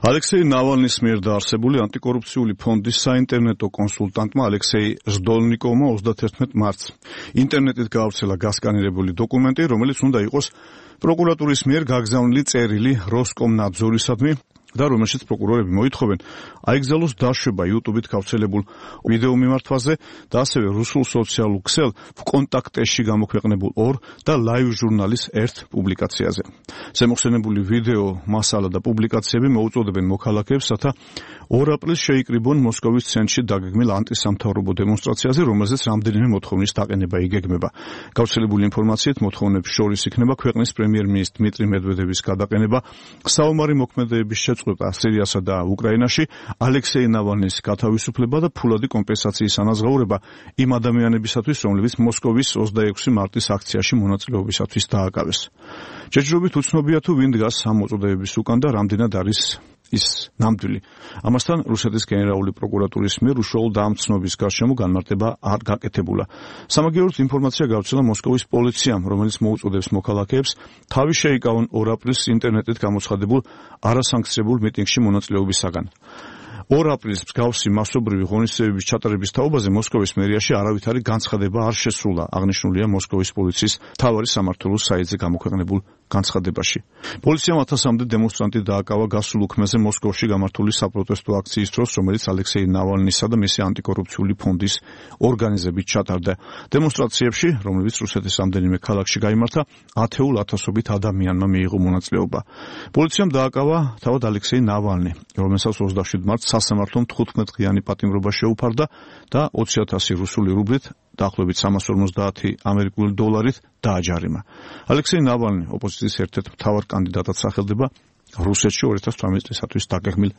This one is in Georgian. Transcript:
ალექსეი ნავალნის მიერ დაარსებული ანტიკორუფციული ფონდის საინტერნეტო კონსულტანტმა ალექსეი ჟდოლნიკოვმა 31 მარტს ინტერნეტით გაავრცელა გასკანირებული დოკუმენტი, რომელიც უნდა იყოს პროკურატურის მიერ გაგზავნილი წერილი როსკომნაძორისადმი და რომელშიც პროკურორები მოითხოვენ აიგზავნოს დაშვება YouTube-ით გავრცელებულ ვიდეო მიმართვაზე და ასევე რუსულ სოციალურ ქსელ ვკონტაქტეში გამოქვეყნებულ 2 და ლაივ ჟურნალის 1 პუბლიკაციაზე. ზემოხსენებული ვიდეო მასალა და პუბლიკაციები მოუწოდებენ მოქალაქეებს, რათა 2 აპრილს შეიკრიბონ მოსკოვის ცენტრში დაგეგმილ ანტისამთავრობო დემონსტრაციაზე, რომელზეც რამდენიმე მოთხოვნის დაყენება იგეგმება. გავრცელებული ინფორმაციით მოთხოვნებს შორის იქნება ქვეყნის პრემიერ-მინისტრ დმიტრი მედვედევის გადაყენება, საომარი მოქმედებების შეწყვეტა სირიასა და უკრაინაში, ალექსეი ნავალნის გათავისუფლება და ფულადი კომპენსაციის ანაზღაურება იმ ადამიანებისათვის, რომლებიც მოსკოვის 26 მარტის აქციაში მონაწილეობისათვის დააკავეს. ჯერჯერობით უცნობია თუ ვინ დგას ამ მოწოდებების უკან და რამდენად არის ის ნამდვილი. ამასთან რუსეთის გენერალური პროკურატურის მიერ უშუალო დამცნობის გარშემო განმარტება არ გაკეთებულა. სამაგიეროდ ინფორმაცია გავრცელა მოსკოვის პოლიციამ, რომელიც მოუწოდებს მოქალაქეებს თავი შეიკავონ 2 აპრილს ინტერნეტით გამოცხადებულ არასანქციონებულ მიტინგში მონაწილეობისაგან. 2 აპრილს მსგავსი მასობრივი ღონისძიებების ჩატარების თაობაზე მოსკოვის მერიაში არავითარი განცხადება არ შესრულა, აღნიშნულია მოსკოვის პოლიციის მთავარი სამმართველოს საიტზე გამოქვეყნებულ განცხადებაში. პოლიციამ 1000-მდე დემონსტრანტი დააკავა გასულ უქმეზე მოსკოვში გამართული საპროტესტო აქციის დროს, რომელიც ალექსეი ნავალნისა და მისი ანტიკორუფციული ფონდის ორგანიზებით ჩატარდა. დემონსტრაციებში, რომლებიც რუსეთის რამდენიმე ქალაქში გაიმართა, ათეულ ათასობით ადამიანმა მიიღო მონაწილეობა. პოლიციამ დააკავა თავად ალექსეი ნავალნი, რომელსაც 27 მარტს სასამართლომ 15-დღიანი პატიმრობა შეუფარდა და 20,000 რუსული რუბლით, დაახლოებით 350 ამერიკული დოლარით დააჯარიმა. ალექსეი ნავალნი ოპოზიციის ერთ-ერთ მთავარ კანდიდატად სახელდება რუსეთში 2018 წლისათვის დაგეგმილ